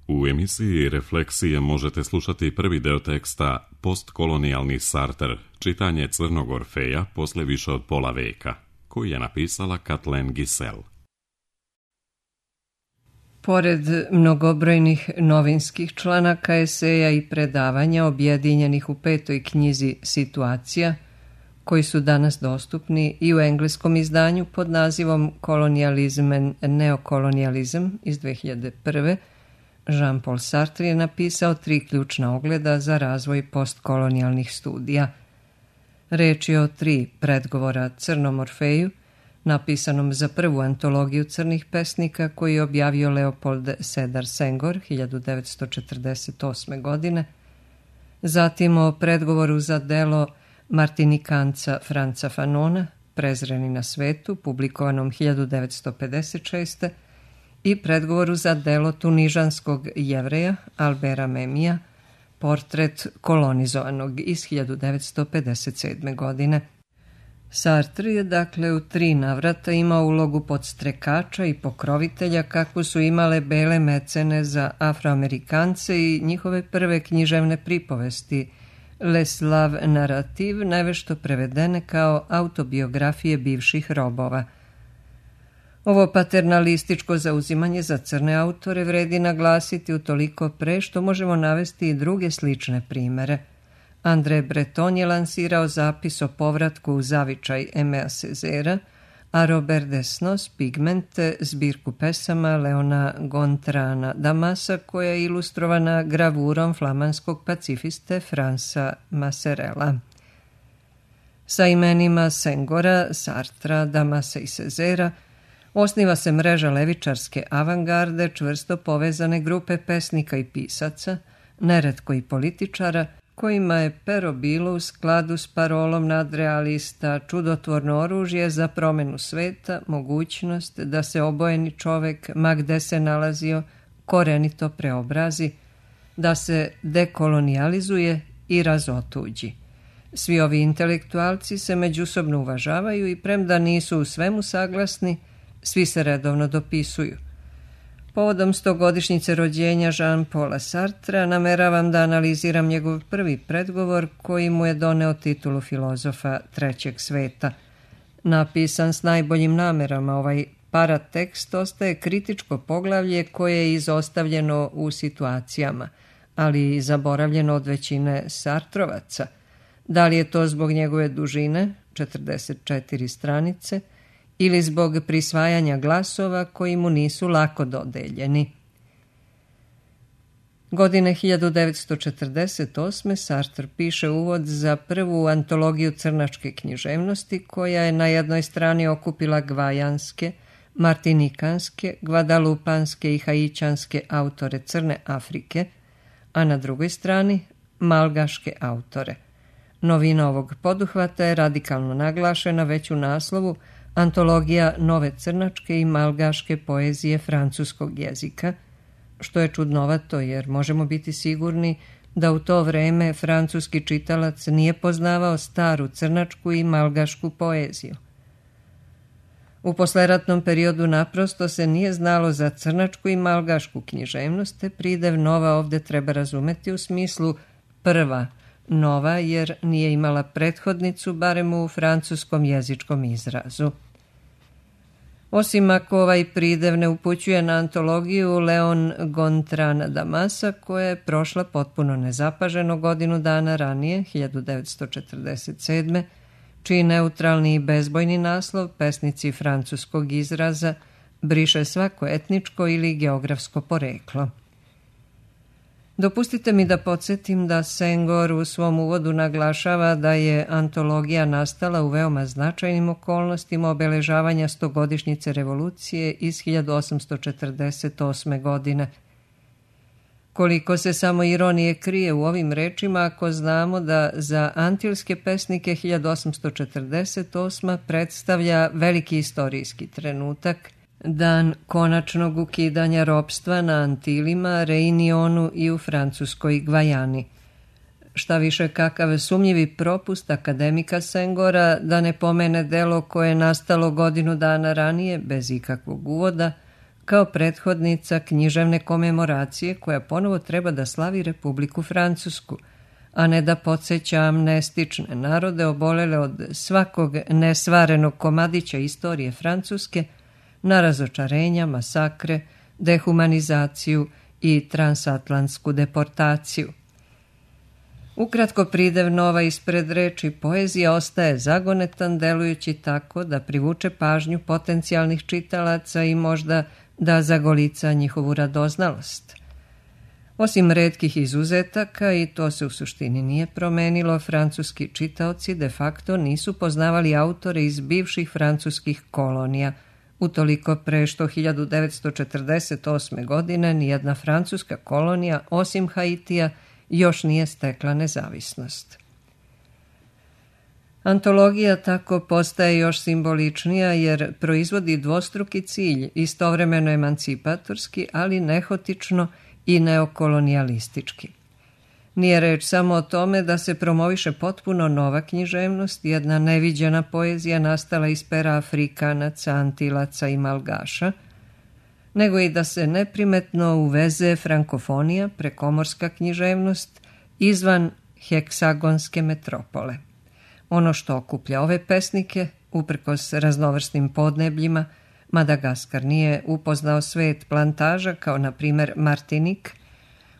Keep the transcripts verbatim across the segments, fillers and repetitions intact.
U emisiji Refleksije možete slušati prvi deo teksta Postkolonijalni Sartre, čitanje Crnog Orfeja posle više od pola veka, koji je napisala Kathleen Giselle. Pored mnogobrojnih novinskih članaka, eseja i predavanja objedinjenih u petoj knjizi Situacija, koji su danas dostupni i u engleskom izdanju pod nazivom Colonialism and Neocolonialism iz dve hiljade prve. Jean-Paul Sartre je napisao tri ključna ogleda za razvoj postkolonijalnih studija. Reč je o tri predgovora Crnom Orfeju, napisanom za prvu antologiju crnih pesnika koju je objavio Leopold Sedar Senghor hiljadu devetsto četrdeset osme. godine, zatim o predgovoru za delo Martinikanca Franca Fanona, Prezreni na svetu, publikovanom hiljadu devetsto pedeset šeste. i predgovoru za delo tunižanskog jevreja Albera Memija, Portret kolonizovanog iz hiljadu devetsto pedeset sedme. godine. Sartre je dakle u tri navrata imao ulogu podstrekača i pokrovitelja kakvu su imale bele mecene za Afroamerikance i njihove prve književne pripovesti Les Slaves Narrative, nevešto prevedene kao autobiografije bivših robova. Ovo paternalističko zauzimanje za crne autore vredi naglasiti utoliko pre što možemo navesti i druge slične primere. André Breton je lansirao zapis o povratku u zavičaj Aimé Césaire, a Robert Desnos Pigment, zbirku pesama Leona Gontrana Damasa, koja je ilustrovana gravurom flamanskog pacifiste Fransa Masserella. Sa imenima Senghora, Sartra, Damasa i Césaira osniva se mreža levičarske avangarde, čvrsto povezane grupe pesnika i pisaca, neretko i političara, kojima je pero bilo u skladu s parolom nadrealista čudotvorno oružje za promenu sveta, mogućnost da se obojeni čovek, ma gde se nalazio, korenito preobrazi, da se dekolonijalizuje i razotuđi. Svi ovi intelektualci se međusobno uvažavaju i premda nisu u svemu saglasni, svi se redovno dopisuju. Povodom stogodišnjice rođenja Jean-Paula Sartra nameravam da analiziram njegov prvi predgovor koji mu je doneo titulu filozofa trećeg sveta. Napisan s najboljim namerama, ovaj paratekst ostaje kritičko poglavlje koje je izostavljeno u situacijama, ali i zaboravljeno od većine Sartrovaca. Da li je to zbog njegove dužine, četrdeset četiri stranice, ili zbog prisvajanja glasova koji mu nisu lako dodeljeni. Godine hiljadu devetsto četrdeset osme. Sartre piše uvod za prvu antologiju crnačke književnosti koja je na jednoj strani okupila gvajanske, martinikanske, gvadalupanske i haićanske autore Crne Afrike, a na drugoj strani malgaške autore. Novina ovog poduhvata je radikalno naglašena već u naslovu Antologija nove crnačke i malgaške poezije francuskog jezika, što je čudnovato jer možemo biti sigurni da u to vreme francuski čitalac nije poznavao staru crnačku i malgašku poeziju. U posleratnom periodu naprosto se nije znalo za crnačku i malgašku književnost, te pridev nova ovde treba razumeti u smislu prva nova, jer nije imala prethodnicu, barem u francuskom jezičkom izrazu. Osim ako ovaj pridev ne upućuje na antologiju Leon Gontrana Damasa, koja je prošla potpuno nezapaženo godinu dana ranije, hiljadu devetsto četrdeset sedme. čiji neutralni i bezbojni naslov, pesnici francuskog izraza, briše svako etničko ili geografsko poreklo. Dopustite mi da podsjetim da Senghor u svom uvodu naglašava da je antologija nastala u veoma značajnim okolnostima obeležavanja stogodišnjice revolucije iz hiljadu osamsto četrdeset osme. godine. Koliko se samo ironije krije u ovim rečima ako znamo da za antilske pesnike hiljadu osamsto četrdeset osma. predstavlja veliki istorijski trenutak, dan konačnog ukidanja ropstva na Antilima, Reunionu i u francuskoj Gvajani. Šta više, kakav sumnjivi propust akademika Senghora da ne pomene delo koje je nastalo godinu dana ranije, bez ikakvog uvoda, kao prethodnica književne komemoracije koja ponovo treba da slavi Republiku Francusku, a ne da podsjeća amnestične narode obolele od svakog nesvarenog komadića istorije Francuske na razočarenja, masakre, dehumanizaciju i transatlantsku deportaciju. Ukratko, pridev nova ispred reči poezija ostaje zagonetan, delujući tako da privuče pažnju potencijalnih čitalaca i možda da zagolica njihovu radoznalost. Osim retkih izuzetaka, i to se u suštini nije promenilo, francuski čitaoci de facto nisu poznavali autore iz bivših francuskih kolonija, utoliko pre što hiljadu devetsto četrdeset osme. godine nijedna francuska kolonija, osim Haitija, još nije stekla nezavisnost. Antologija tako postaje još simboličnija jer proizvodi dvostruki cilj, istovremeno emancipatorski, ali nehotično i neokolonijalistički. Nije reč samo o tome da se promoviše potpuno nova književnost, jedna neviđena poezija nastala iz pera Afrikanaca, Antilaca i Malgaša, nego i da se neprimetno uveze frankofonija, prekomorska književnost, izvan heksagonske metropole. Ono što okuplja ove pesnike, uprkos raznovrsnim podnebljima, Madagaskar nije upoznao svet plantaža kao na primer Martinik,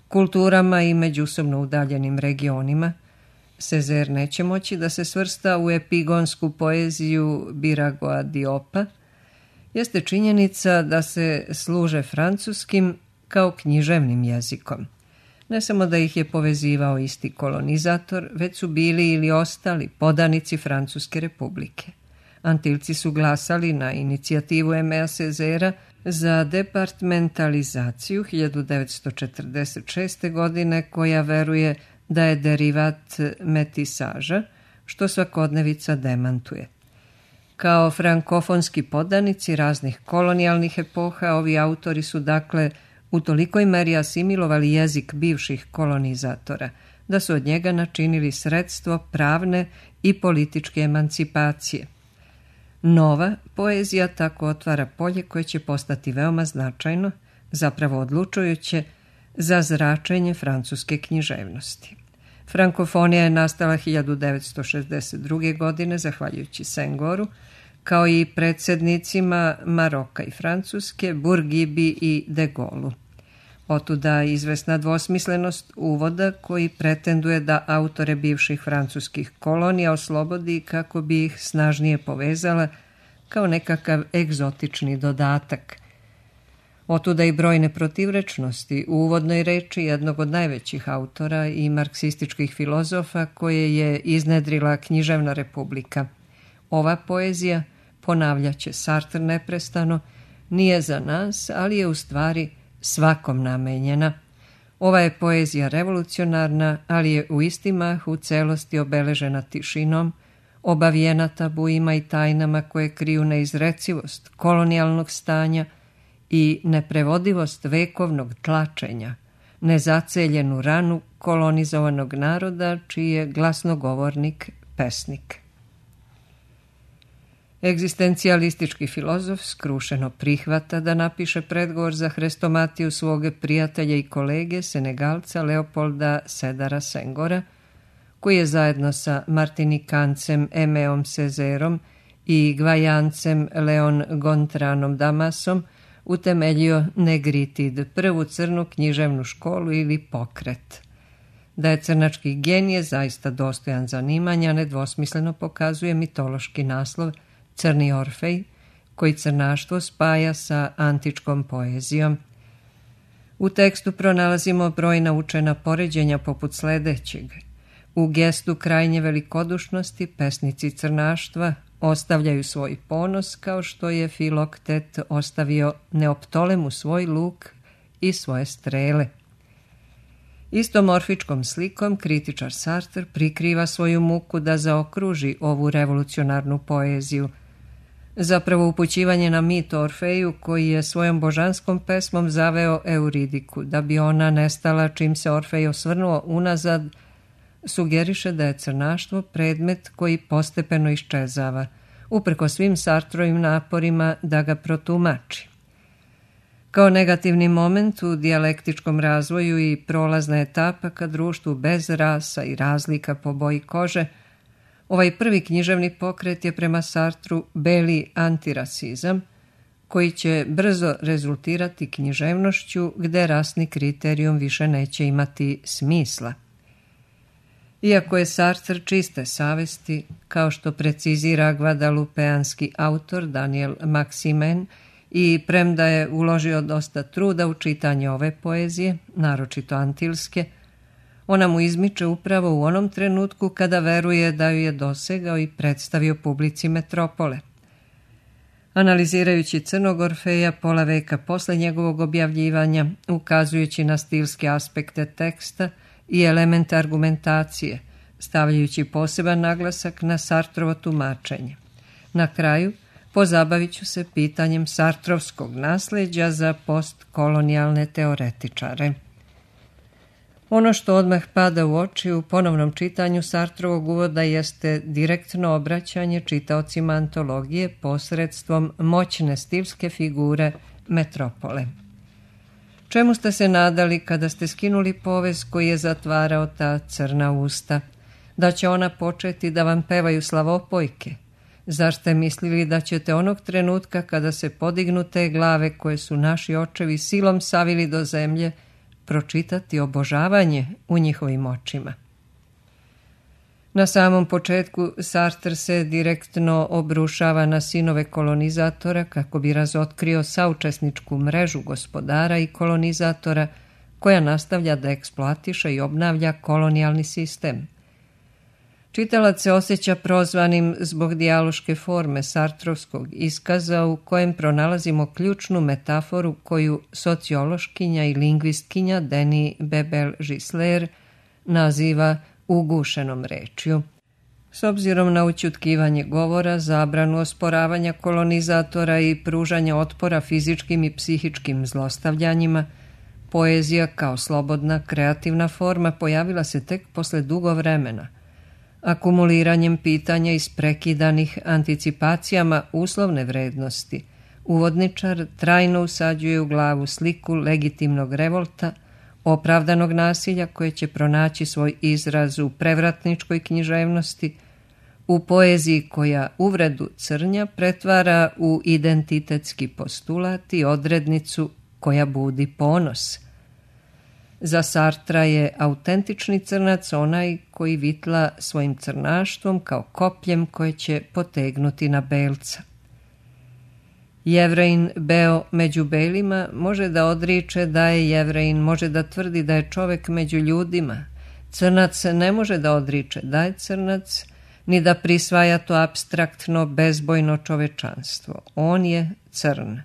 kulturama i međusobno udaljenim regionima, Sezer neće moći da se svrsta u epigonsku poeziju Biragoa Diopa, jeste činjenica da se služe francuskim kao književnim jezikom. Ne samo da ih je povezivao isti kolonizator, već su bili ili ostali podanici Francuske republike. Antilci su glasali na inicijativu Emea Sezera za departmentalizaciju hiljadu devetsto četrdeset šeste. godine, koja veruje da je derivat metisaža, što svakodnevica demantuje. Kao frankofonski podanici raznih kolonijalnih epoha, ovi autori su dakle u tolikoj meri asimilovali jezik bivših kolonizatora, da su od njega načinili sredstvo pravne i političke emancipacije. Nova poezija tako otvara polje koje će postati veoma značajno, zapravo odlučujuće, za zračenje francuske književnosti. Frankofonija je nastala hiljadu devetsto šezdeset druge. godine, zahvaljujući Sengoru, kao i predsjednicima Maroka i Francuske, Bourguibi i de Gaullu. Otuda izvesna dvosmislenost uvoda koji pretenduje da autore bivših francuskih kolonija oslobodi kako bi ih snažnije povezala kao nekakav egzotični dodatak. Otuda i brojne protivrečnosti u uvodnoj reči jednog od najvećih autora i marksističkih filozofa koje je iznedrila književna republika. Ova poezija, ponavljaće Sartre neprestano, nije za nas, ali je u stvari svakom namenjena. Ova je poezija revolucionarna, ali je u isti mah u celosti obeležena tišinom, obavijena tabuima i tajnama koje kriju neizrecivost kolonijalnog stanja i neprevodivost vekovnog tlačenja, nezaceljenu ranu kolonizovanog naroda čiji je glasnogovornik pesnik. Egzistencijalistički filozof skrušeno prihvata da napiše predgovor za hrestomatiju svog prijatelja i kolege Senegalca Leopolda Sedara Sengora, koji je zajedno sa Martinikancem Emeom Sezerom i Gvajancem Leon Gontranom Damasom utemeljio Negritid, prvu crnu književnu školu ili pokret. Da je crnački genije zaista dostojan zanimanja, nedvosmisleno pokazuje mitološki naslov Crni Orfej, koji crnaštvo spaja sa antičkom poezijom. U tekstu pronalazimo brojna učena poređenja poput sledećeg. U gestu krajnje velikodušnosti pesnici crnaštva ostavljaju svoj ponos kao što je Filoktet ostavio Neoptolemu svoj luk i svoje strele. Istom orfičkom slikom kritičar Sartre prikriva svoju muku da zaokruži ovu revolucionarnu poeziju, zapravo upućivanje na mit o Orfeju koji je svojom božanskom pesmom zaveo Euridiku, da bi ona nestala čim se Orfej osvrnuo unazad, sugeriše da je crnaštvo predmet koji postepeno iščezava, uprko svim Sartrovim naporima da ga protumači. Kao negativni moment u dijalektičkom razvoju i prolazna etapa ka društvu bez rasa i razlika po boji kože, ovaj prvi književni pokret je prema Sartru beli antirasizam, koji će brzo rezultirati književnošću gde rasni kriterijum više neće imati smisla. Iako je Sartre čiste savesti, kao što precizira gvadalupeanski autor Daniel Maximen, i premda je uložio dosta truda u čitanje ove poezije, naročito antilske, ona mu izmiče upravo u onom trenutku kada veruje da ju je dosegao i predstavio publici metropole. Analizirajući Crnog Orfeja pola veka posle njegovog objavljivanja, ukazujući na stilske aspekte teksta i elemente argumentacije, stavljajući poseban naglasak na Sartrovo tumačenje. Na kraju, pozabavit ću se pitanjem sartrovskog nasleđa za postkolonijalne teoretičare. Ono što odmah pada u oči u ponovnom čitanju Sartrovog uvoda jeste direktno obraćanje čitaocima antologije posredstvom moćne stilske figure metropole. Čemu ste se nadali kada ste skinuli povez koji je zatvarao ta crna usta? Da će ona početi da vam pevaju slavopojke? Zar ste mislili da ćete onog trenutka kada se podignu te glave koje su naši očevi silom savili do zemlje, pročitati obožavanje u njihovim očima? Na samom početku Sartre se direktno obrušava na sinove kolonizatora kako bi razotkrio saučesničku mrežu gospodara i kolonizatora koja nastavlja da eksploatiše i obnavlja kolonijalni sistem. Čitalac se osjeća prozvanim zbog dijaloške forme sartrovskog iskaza u kojem pronalazimo ključnu metaforu koju sociološkinja i lingvistkinja Denis Bebel-Gisler naziva ugušenom rečju. S obzirom na ućutkivanje govora, zabranu osporavanja kolonizatora i pružanja otpora fizičkim i psihičkim zlostavljanjima, poezija kao slobodna, kreativna forma pojavila se tek posle dugo vremena, akumuliranjem pitanja isprekidanih anticipacijama uslovne vrednosti. Uvodničar trajno usađuje u glavu sliku legitimnog revolta, opravdanog nasilja koje će pronaći svoj izraz u prevratničkoj književnosti, u poeziji koja uvredu crnja pretvara u identitetski postulat i odrednicu koja budi ponos. Za Sartra je autentični crnac onaj koji vitla svojim crnaštvom kao kopljem koje će potegnuti na belca. Jevrejin beo među belima može da odriče da je jevrejin, može da tvrdi da je čovek među ljudima. Crnac ne može da odriče da je crnac, ni da prisvaja to apstraktno, bezbojno čovečanstvo. On je crn.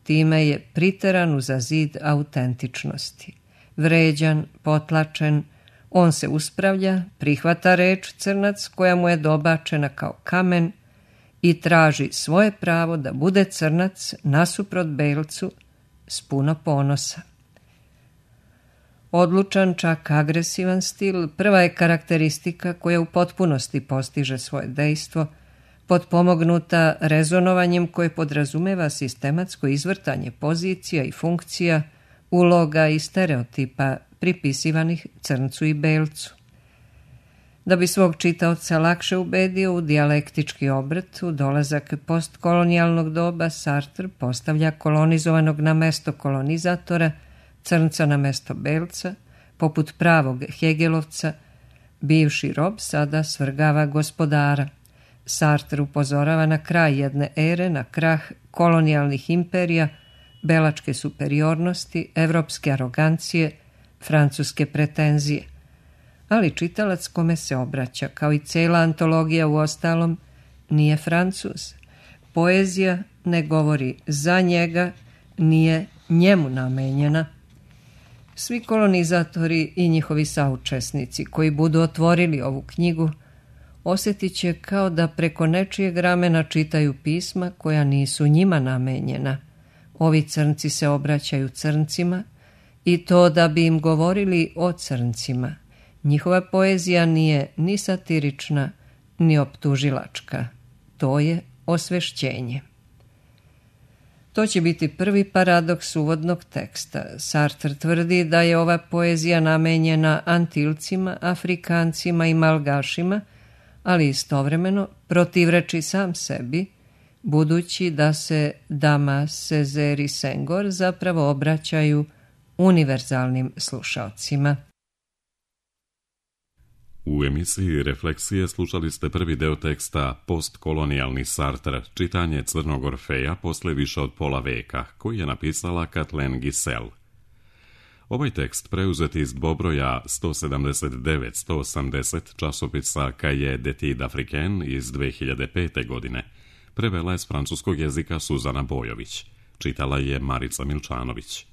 Time je priteran uza zid autentičnosti. Vređan, potlačen, on se uspravlja, prihvata reč crnac koja mu je dobačena kao kamen i traži svoje pravo da bude crnac nasuprot belcu s puno ponosa. Odlučan, čak agresivan stil prva je karakteristika koja u potpunosti postiže svoje dejstvo, potpomognuta rezonovanjem koje podrazumeva sistematsko izvrtanje pozicija i funkcija, uloga i stereotipa pripisivanih crncu i belcu. Da bi svog čitaoca lakše ubedio u dijalektički obrt, u dolazak postkolonijalnog doba, Sartre postavlja kolonizovanog na mesto kolonizatora, crnca na mesto belca, poput pravog Hegelovca, bivši rob sada svrgava gospodara. Sartre upozorava na kraj jedne ere, na krah kolonijalnih imperija, belačke superiornosti, evropske arogancije, francuske pretenzije. Ali čitalac kome se obraća, kao i cela antologija u ostalom, nije Francuz. Poezija ne govori za njega, nije njemu namenjena. Svi kolonizatori i njihovi saučesnici koji budu otvorili ovu knjigu osjetit će kao da preko nečijeg ramena čitaju pisma koja nisu njima namenjena. Ovi crnci se obraćaju crncima i to da bi im govorili o crncima. Njihova poezija nije ni satirična, ni optužilačka. To je osvešćenje. To će biti prvi paradoks uvodnog teksta. Sartre tvrdi da je ova poezija namenjena Antilcima, Afrikancima i Malgašima, ali istovremeno protivreči sam sebi, budući da se Damas, Césaire i Senghor zapravo obraćaju univerzalnim slušaocima. U emisiji Refleksije slušali ste prvi deo teksta Postkolonijalni Sartre, čitanje Crnog Orfeja posle više od pola veka, koji je napisala Kathleen Giselle. Ovaj tekst preuzet iz dvobroja sto sedamdeset devet sto osamdeset časopisa Cahiers d'études africaines iz dve hiljade pete. godine prevela je s francuskog jezika Suzana Bojović. Čitala je Marica Milčanović.